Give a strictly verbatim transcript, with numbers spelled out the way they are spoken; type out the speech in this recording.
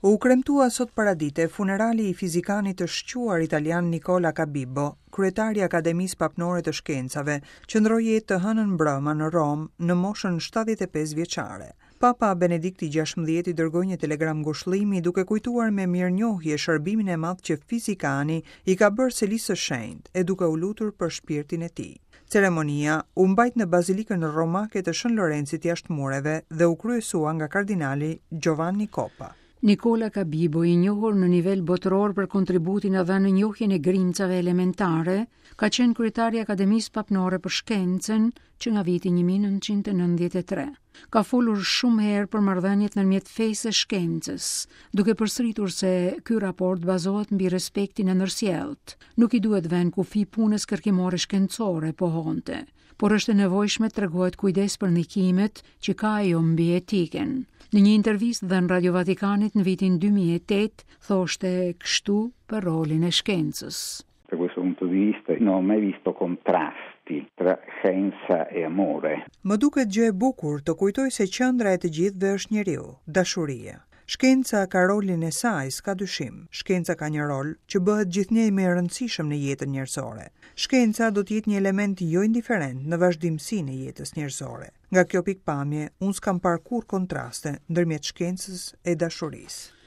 U kremtua sot paradite funerali i fizikanit të shquar italian Nicola Cabibbo, kryetar i Akademisë Papnore të Shkencave, që ndërroi jetë të hënën mbrëma në Romë në moshën shtatëdhjetë e pesë vjeçare. Papa Benedikti gjashtëmbëdhjetë i dërgoi një telegram ngushëllimi duke kujtuar me mirënjohje shërbimin e madh që fizikani i ka bërë Selisë së Shenjtë e duke u lutur për shpirtin e tij. Ceremonia u mbajt në Bazilikën Romake të Shën Lorencit jashtë mureve dhe u kryesua nga kardinali Giovanni Coppa. Nicola Cabibbo, i njohur në nivel botëror për kontributin e dhënë në njohjen e grimcave elementare, ka qenë kryetar i Akademisë Papnore për Shkencën që nga viti një mijë e nëntëqind e nëntëdhjetë e tre. Ka folur shumë herë për marrëdhëniet ndërmjet fesë e shkencës, duke përsëritur se ky raport bazohet mbi respektin e ndërsjellët. Nuk i duhet vënë kufi punës kërkimore shkencore, pohonte, por është e nevojshme të tregohet kujdes për ndikimet që ka ajo mbi etikën. Në një intervistë dhënë Radio Vatikanit në vitin dy mijë e tetë, thoshte kështu për rolin e shkencës. Da questo punto di vista non ho mai visto contrasti tra scienza e amore. Më duket gjë e bukur të kujtoj se qendra e të gjithëve është njeriu, dashuria. Shkenca ka rolin e saj, s'ka dyshim. Shkenca ka një rol që bëhet gjithnjë më i rëndësishëm në jetën njerëzore. Shkenca do të jetë një element jo indiferent në vazhdimësinë e jetës njerëzore. Nga kjo pikpamje, unë s'kam parë kurrë kontraste ndërmjet shkencës e dashurisë.